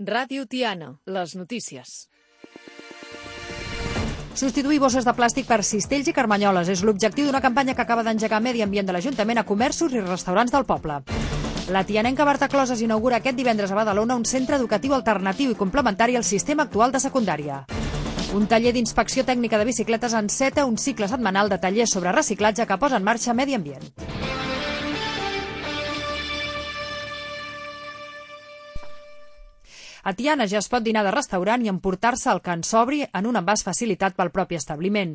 Ràdio Tiana, les notícies. Substituir bosses de plàstic per cistells i carmanyoles és l'objectiu d'una campanya que acaba d'engegar Medi Ambient de l'Ajuntament a comerços i restaurants del poble. La tianenca Marta Closes inaugura aquest divendres a Badalona un centre educatiu alternatiu i complementari al sistema actual de secundària. Un taller d'inspecció tècnica de bicicletes enceta un cicle setmanal de tallers sobre reciclatge que posa en marxa Medi Ambient. A Tiana ja es pot dinar de restaurant i emportar-se el que en sobri en un envàs facilitat pel propi establiment.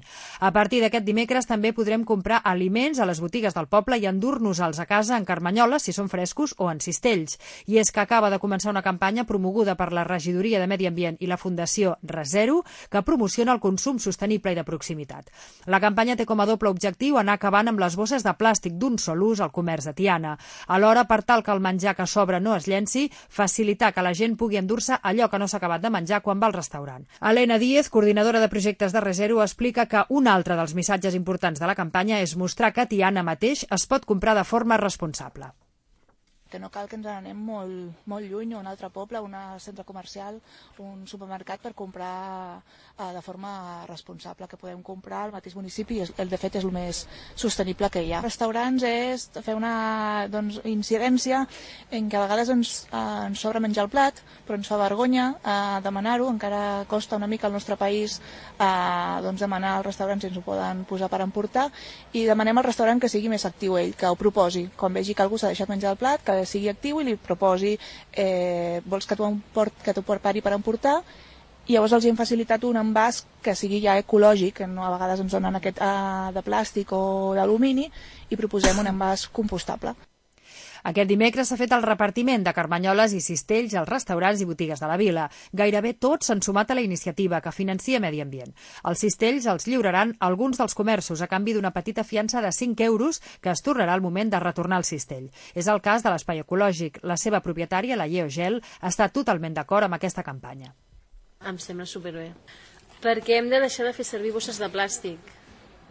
A partir d'aquest dimecres també podrem comprar aliments a les botigues del poble i endur-nos-els a casa en carmanyoles, si són frescos, o en cistells. I és que acaba de començar una campanya promoguda per la Regidoria de Medi Ambient i la Fundació Resero, que promociona el consum sostenible i de proximitat. La campanya té com a doble objectiu anar acabant amb les bosses de plàstic d'un sol ús al comerç de Tiana. Alhora, per tal que el menjar que sobra no es llenci, facilitar que la gent pugui endur allò que no s'ha acabat de menjar quan va al restaurant. Helena Díez, coordinadora de projectes de Resero, explica que un altre dels missatges importants de la campanya és mostrar que a Tiana mateix es pot comprar de forma responsable. Que no cal que ens anem molt lluny, a un altre poble, a un centre comercial, un supermercat per comprar de forma responsable, que podem comprar al mateix municipi i de fet és el més sostenible que hi ha. Restaurants és fer una incidència en què a vegades ens sobra menjar el plat, però ens fa vergonya demanar-ho, encara costa una mica al nostre país demanar als restaurants si ens ho poden posar per emportar, i demanem al restaurant que sigui més actiu ell, que ho proposi. Quan vegi que algú s'ha deixat menjar el plat, que sigui actiu i li proposi vols que t'ho prepari per emportar, i llavors els hem facilitat un envàs que sigui ja ecològic, que no a vegades ens donen aquest de plàstic o d'alumini, i proposem un envàs compostable. Aquest dimecres s'ha fet el repartiment de carmanyoles i cistells als restaurants i botigues de la vila. Gairebé tots s'han sumat a la iniciativa que financia Medi Ambient. Els cistells els lliuraran alguns dels comerços a canvi d'una petita fiança de 5 euros que es tornarà al moment de retornar el cistell. És el cas de l'Espai Ecològic. La seva propietària, la Yeogel, està totalment d'acord amb aquesta campanya. Em sembla superbé, perquè hem de deixar de fer servir bosses de plàstic.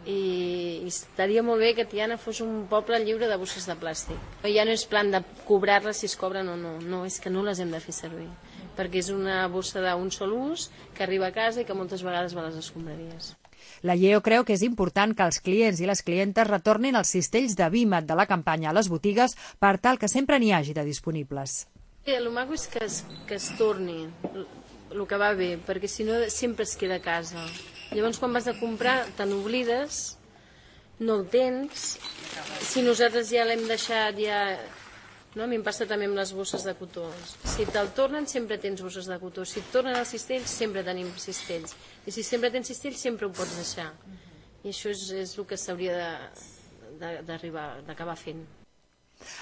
I estaria molt bé que Tiana fos un poble lliure de bosses de plàstic. Ja no és plan de cobrar-les si es cobren o no, és que no les hem de fer servir, perquè és una bossa d'un sol ús que arriba a casa i que moltes vegades va a les escombraries. La Lleo creu que és important que els clients i les clientes retornin els cistells de Vímet de la campanya a les botigues per tal que sempre n'hi hagi de disponibles. El maco és que es torni el que va bé, perquè si no sempre es queda a casa. Llavors, quan vas a comprar, te n'oblides, no el tens. Si nosaltres ja l'hem deixat, no? A mi em passa també amb les bosses de cotó. Si te'l tornen, sempre tens bosses de cotó. Si et tornen els cistells, sempre tenim cistells. I si sempre tens cistells, sempre ho pots deixar. I això és el que s'hauria d'acabar fent.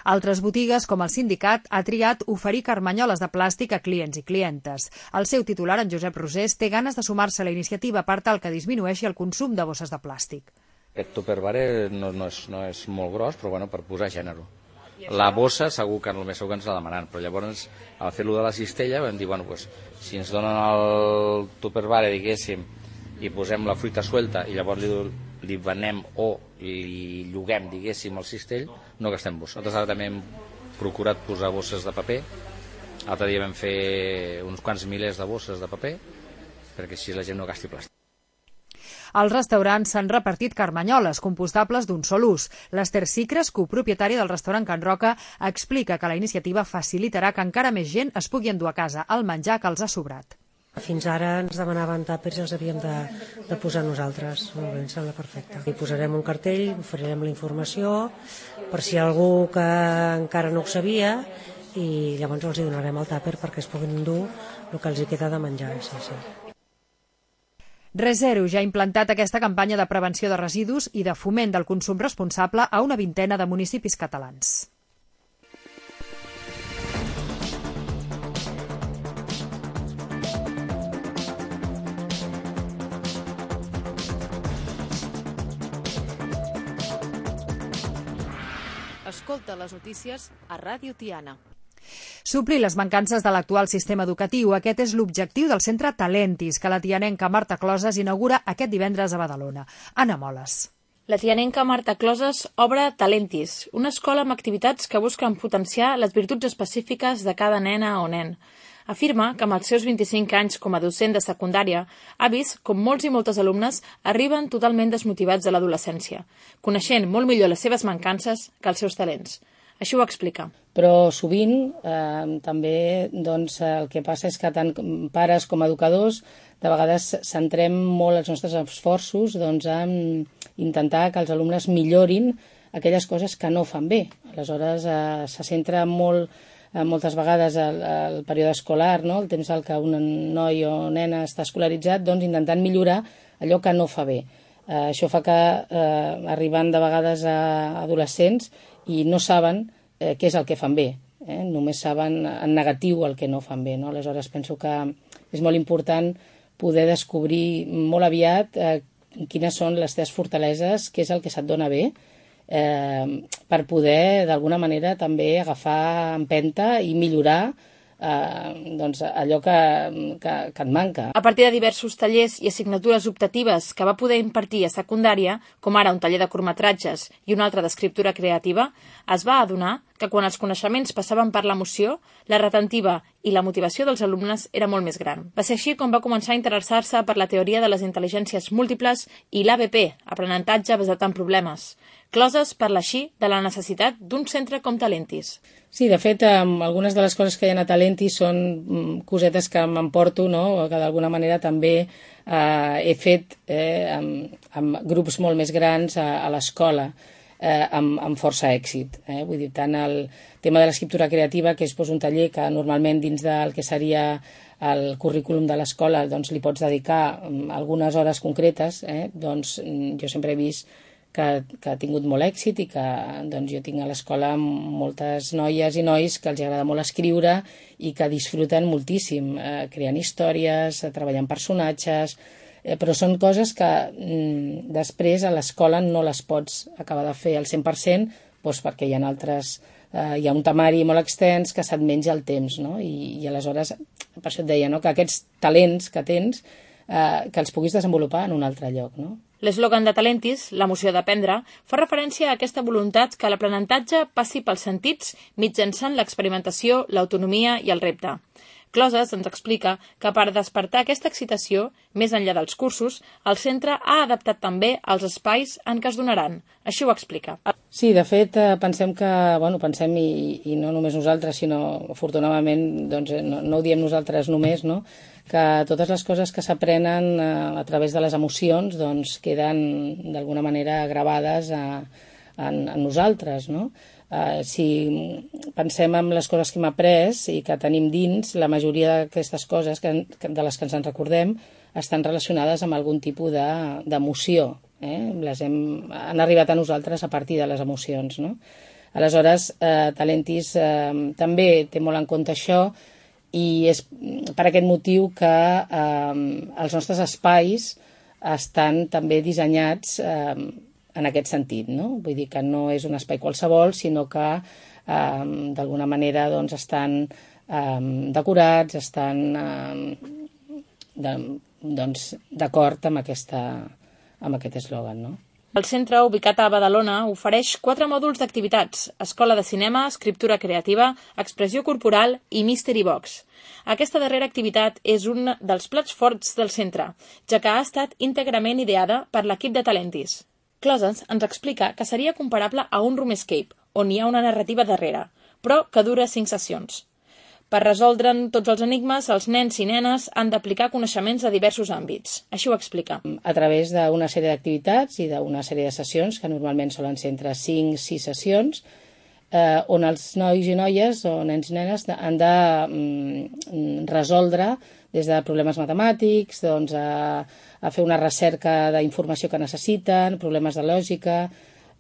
Altres botigues, com el sindicat, ha triat oferir carmanyoles de plàstic a clients i clientes. El seu titular, en Josep Rosés, té ganes de sumar-se a la iniciativa per tal que disminueixi el consum de bosses de plàstic. Aquest tupperware no és molt gros, però bueno, per posar gènere. La bossa segur que només segur que ens la demanen, però llavors al fer-lo de la cistella vam dir, si ens donen el tupperware, diguéssim, i posem la fruita suelta i llavors li venem o li lloguem, diguéssim, el cistell, no gastem bossa. Nosaltres ara també hem procurat posar bosses de paper. L'altre dia vam fer uns quants milers de bosses de paper perquè així la gent no gasti plàstic. Als restaurants s'han repartit carmanyoles compostables d'un sol ús. L'Ester Sicres, copropietària del restaurant Can Roca, explica que la iniciativa facilitarà que encara més gent es pugui endur a casa el menjar que els ha sobrat. Fins ara ens demanaven tàpers i els havíem de posar nosaltres. Molt bé, em sembla perfecte. Hi posarem un cartell, oferirem la informació per si algú que encara no ho sabia, i llavors els hi donarem el tàper perquè es puguin endur el que els hi queda de menjar. Sí. Resero ja ha implantat aquesta campanya de prevenció de residus i de foment del consum responsable a una vintena de municipis catalans. Escolta les notícies a Ràdio Tiana. Suplir les mancances de l'actual sistema educatiu. Aquest és l'objectiu del centre Talentis, que la tianenca Marta Closes inaugura aquest divendres a Badalona. Anna Moles. La tianenca Marta Closes obre Talentis, una escola amb activitats que busquen potenciar les virtuts específiques de cada nena o nen. Afirma que amb els seus 25 anys com a docent de secundària ha vist com molts i moltes alumnes arriben totalment desmotivats de l'adolescència, coneixent molt millor les seves mancances que els seus talents. Així ho explica. Però sovint també el que passa és que tant pares com educadors de vegades centrem molt els nostres esforços en intentar que els alumnes millorin aquelles coses que no fan bé. Aleshores se centra moltes vegades el període escolar, no? El temps en què un noi o nena està escolaritzat, intentant millorar allò que no fa bé. Això fa que arriben de vegades a adolescents i no saben què és el que fan bé. Només saben en negatiu el que no fan bé. No? Aleshores penso que és molt important poder descobrir molt aviat quines són les teves fortaleses, què és el que se't dona bé, per poder d'alguna manera també agafar empenta i millorar allò que et manca. A partir de diversos tallers i assignatures optatives que va poder impartir a secundària, com ara un taller de curtmetratges i un altre d'escriptura creativa, es va adonar que quan els coneixements passaven per l'emoció, la retentiva i la motivació dels alumnes era molt més gran. Va ser així com va començar a interessar-se per la teoria de les intel·ligències múltiples i l'ABP, aprenentatge basat en problemes. Closes parla així de la necessitat d'un centre com Talentis. Sí, de fet, algunes de les coses que hi ha a Talentis són cosetes que m'emporto, no? Que d'alguna manera també he fet amb grups molt més grans a l'escola, amb força èxit. Vull dir, tant el tema de l'escriptura creativa, que és un taller que normalment dins del que seria el currículum de l'escola li pots dedicar algunes hores concretes, jo sempre he vist que ha tingut molt èxit i que jo tinc a l'escola moltes noies i nois que els agrada molt escriure i que disfruten moltíssim creant històries, treballant personatges, però són coses que després a l'escola no les pots acabar de fer al 100% perquè hi ha un temari molt extens que se't menja el temps, no? I aleshores, per això et deia, no? Que aquests talents que tens que els puguis desenvolupar en un altre lloc, no? L'eslògan de Talentis, l'emoció d'aprendre, fa referència a aquesta voluntat que l'aprenentatge passi pels sentits mitjançant l'experimentació, l'autonomia i el repte. Closes ens explica que per despertar aquesta excitació, més enllà dels cursos, el centre ha adaptat també els espais en què es donaran. Així ho explica. Sí, de fet, pensem i no només nosaltres, sinó afortunadament, no ho diem nosaltres només, no? Que totes les coses que s'aprenen a través de les emocions queden d'alguna manera gravades en nosaltres, no? Si pensem en les coses que hem après i que tenim dins, la majoria d'aquestes coses de les que ens en recordem estan relacionades amb algun tipus d'emoció. Han arribat a nosaltres a partir de les emocions, no? Aleshores, Talentis també té molt en compte això i és per aquest motiu que els nostres espais estan també dissenyats en aquest sentit, no? Vull dir que no és un espai qualsevol, sinó que d'alguna manera estan decorats, estan d'acord amb aquest eslògan, no? El centre, ubicat a Badalona, ofereix 4 mòduls d'activitats: escola de cinema, escriptura creativa, expressió corporal i mystery box. Aquesta darrera activitat és un dels plats forts del centre, ja que ha estat íntegrament ideada per l'equip de Talentis. Closes ens explica que seria comparable a un room escape, on hi ha una narrativa darrere, però que dura 5 sessions. Per resoldre'n tots els enigmes, els nens i nenes han d'aplicar coneixements a diversos àmbits. Així ho explica. A través d'una sèrie d'activitats i d'una sèrie de sessions, que normalment solen ser entre 5 i 6 sessions, on els nois i noies o nens i nenes han de resoldre des de problemes matemàtics, a fer una recerca d'informació que necessiten, problemes de lògica,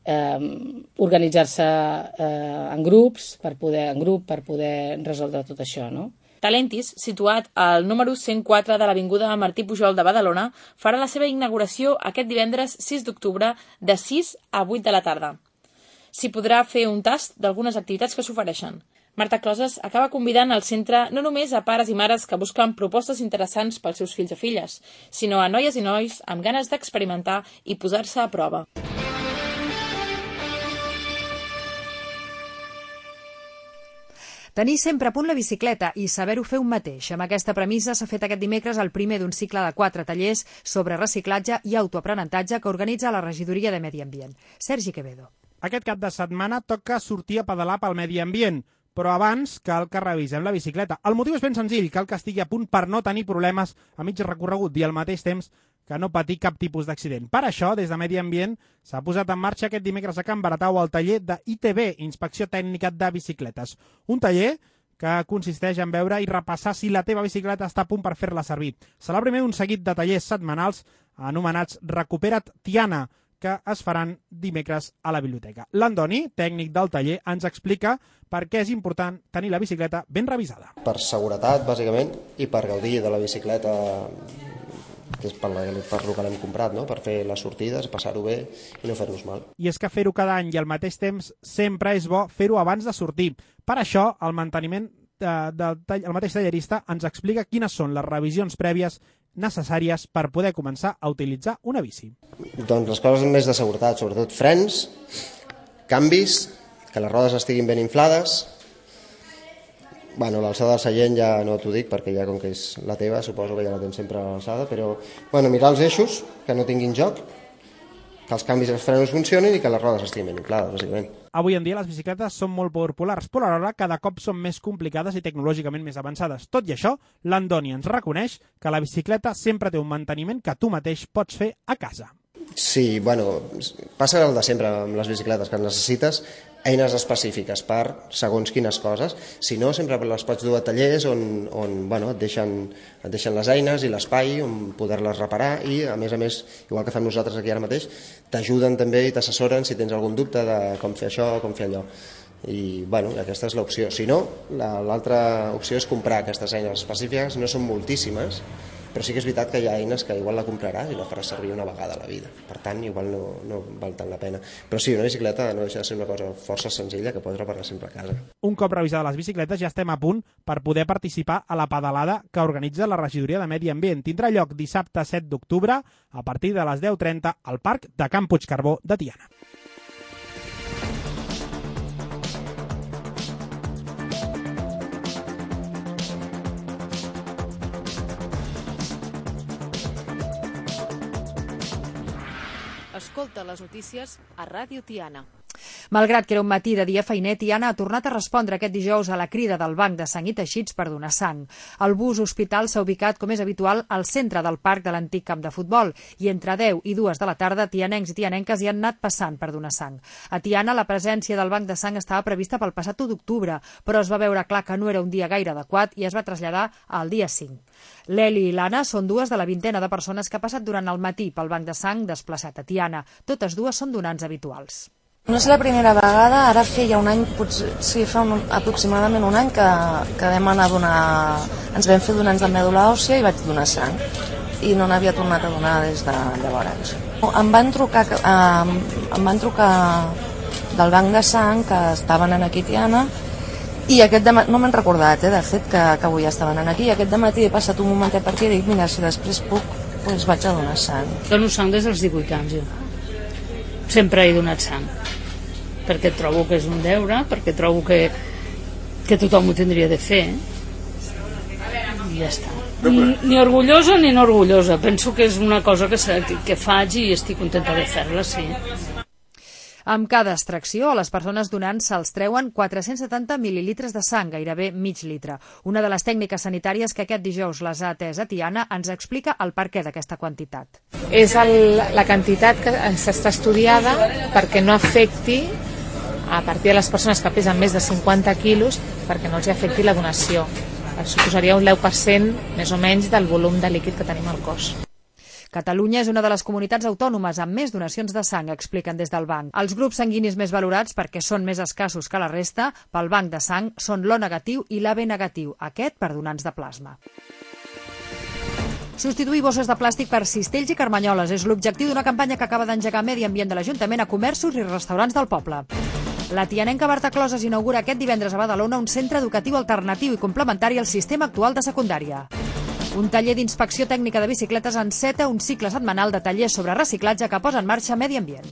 organitzar-se en grups per poder resoldre tot això, no? Talentis, situat al número 104 de l'Avinguda Martí Pujol de Badalona, farà la seva inauguració aquest divendres 6 d'octubre de 6 a 8 de la tarda. S'hi podrà fer un tast d'algunes activitats que s'ofereixen. Marta Closes acaba convidant al centre no només a pares i mares que busquen propostes interessants pels seus fills o filles, sinó a noies i nois amb ganes d'experimentar i posar-se a prova. Tenir sempre a punt la bicicleta i saber-ho fer un mateix. Amb aquesta premissa s'ha fet aquest dimecres el primer d'un cicle de 4 tallers sobre reciclatge i autoaprenentatge que organitza la Regidoria de Medi Ambient. Sergi Quevedo. Aquest cap de setmana toca sortir a pedalar pel medi ambient, però abans cal que revisem la bicicleta. El motiu és ben senzill, cal que estigui a punt per no tenir problemes a mig recorregut i al mateix temps que no patir cap tipus d'accident. Per això, des de Medi Ambient, s'ha posat en marxa aquest dimecres a Can Baratau el taller d'ITB, Inspecció Tècnica de Bicicletes. Un taller que consisteix en veure i repassar si la teva bicicleta està a punt per fer-la servir. Serà el primer d'un seguit de tallers setmanals anomenats Recupera't Tiana, que es faran dimecres a la biblioteca. L'Andoni, tècnic del taller, ens explica per què és important tenir la bicicleta ben revisada. Per seguretat, bàsicament, i per gaudir de la bicicleta, que és per lo que l'hem comprat, no? Per fer les sortides, passar-ho bé i no fer-nos mal. I és que fer-ho cada any i al mateix temps sempre és bo fer-ho abans de sortir. Per això, el manteniment el mateix tallerista ens explica quines són les revisions prèvies necessàries per poder començar a utilitzar una bici. Doncs les coses més de seguretat, sobretot frens, canvis, que les rodes estiguin ben inflades. Bueno, l'alçada del seient ja no t'ho dic perquè ja com que és la teva suposo que ja la tens sempre a l'alçada, però bueno, mirar els eixos, que no tinguin joc, que els canvis dels frenos funcionin i que les rodes estiguin ben inflades, bàsicament. Avui en dia les bicicletes són molt populars, però alhora cada cop són més complicades i tecnològicament més avançades. Tot i això, l'Andoni ens reconeix que la bicicleta sempre té un manteniment que tu mateix pots fer a casa. Sí, bueno, passa el de sempre amb les bicicletes, que necessites eines específiques per segons quines coses. Si no, sempre les pots dur a tallers on bueno, et deixen les eines i l'espai on poder-les reparar i, a més, igual que fem nosaltres aquí ara mateix, t'ajuden també i t'assessoren si tens algun dubte de com fer això o com fer allò. I bueno, aquesta és l'opció. Si no, l'altra opció és comprar aquestes eines específiques, no són moltíssimes, però sí que és veritat que hi ha eines que igual la compraràs i la faràs servir una vegada a la vida. Per tant, igual no val tant la pena. Però sí, una bicicleta no deixa de ser una cosa força senzilla que pots reparar sempre a casa. Un cop revisades les bicicletes ja estem a punt per poder participar a la pedalada que organitza la Regidoria de Medi Ambient. Tindrà lloc dissabte 7 d'octubre a partir de les 10:30 al Parc de Can Puigcarbó de Tiana. Escolta les notícies a Ràdio Tiana. Malgrat que era un matí de dia feiner, Tiana ha tornat a respondre aquest dijous a la crida del Banc de Sang i Teixits per donar sang. El bus hospital s'ha ubicat, com és habitual, al centre del parc de l'antic camp de futbol i entre 10 i 2 de la tarda tianencs i tianenques hi han anat passant per donar sang. A Tiana la presència del Banc de Sang estava prevista pel passat 1 d'octubre, però es va veure clar que no era un dia gaire adequat i es va traslladar al dia 5. L'Eli i l'Anna són dues de la vintena de persones que ha passat durant el matí pel Banc de Sang desplaçat a Tiana. Totes dues són donants habituals. No és la primera vegada, ara feia un any, sí, fa aproximadament un any que vam anar a donar, ens vam fer donants de mèdula òssia i vaig donar sang i no n'havia tornat a donar des de llavors. Em van trucar del Banc de Sang que estaven aquí a Tiana i aquest dematí, no m'han recordat, de fet, que avui estaven aquí, i aquest dematí he passat un momentet per aquí i dic, mira, si després puc, doncs vaig a donar sang. Dono sang des dels 18 anys, jo. Sempre he donat sang, perquè trobo que és un deure, perquè trobo que tothom ho tindria de fer, i ja està. Ni orgullosa ni no orgullosa, penso que és una cosa que faig i estic contenta de fer-la, sí. Amb cada extracció, a les persones donants se'ls treuen 470 mil·lilitres de sang, gairebé mig litre. Una de les tècniques sanitàries que aquest dijous les ha atès a Tiana ens explica el perquè d'aquesta quantitat. És la quantitat que s'està estudiada perquè no afecti a partir de les persones que pesen més de 50 quilos, perquè no els afecti la donació. Suposaria un 10% més o menys del volum de líquid que tenim al cos. Catalunya és una de les comunitats autònomes amb més donacions de sang, expliquen des del banc. Els grups sanguinis més valorats, perquè són més escassos que la resta, pel banc de sang són l'O negatiu i l'AB negatiu, aquest per donants de plasma. Substituir bosses de plàstic per cistells i carmanyoles és l'objectiu d'una campanya que acaba d'engegar Medi Ambient de l'Ajuntament a comerços i restaurants del poble. La tianenca Marta Closes inaugura aquest divendres a Badalona un centre educatiu alternatiu i complementari al sistema actual de secundària. Un taller d'inspecció tècnica de bicicletes enceta un cicle setmanal de tallers sobre reciclatge que posa en marxa Medi Ambient.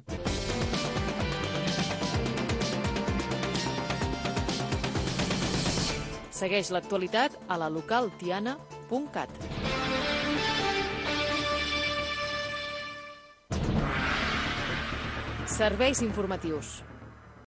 Segueix l'actualitat a la localtiana.cat. Serveis informatius.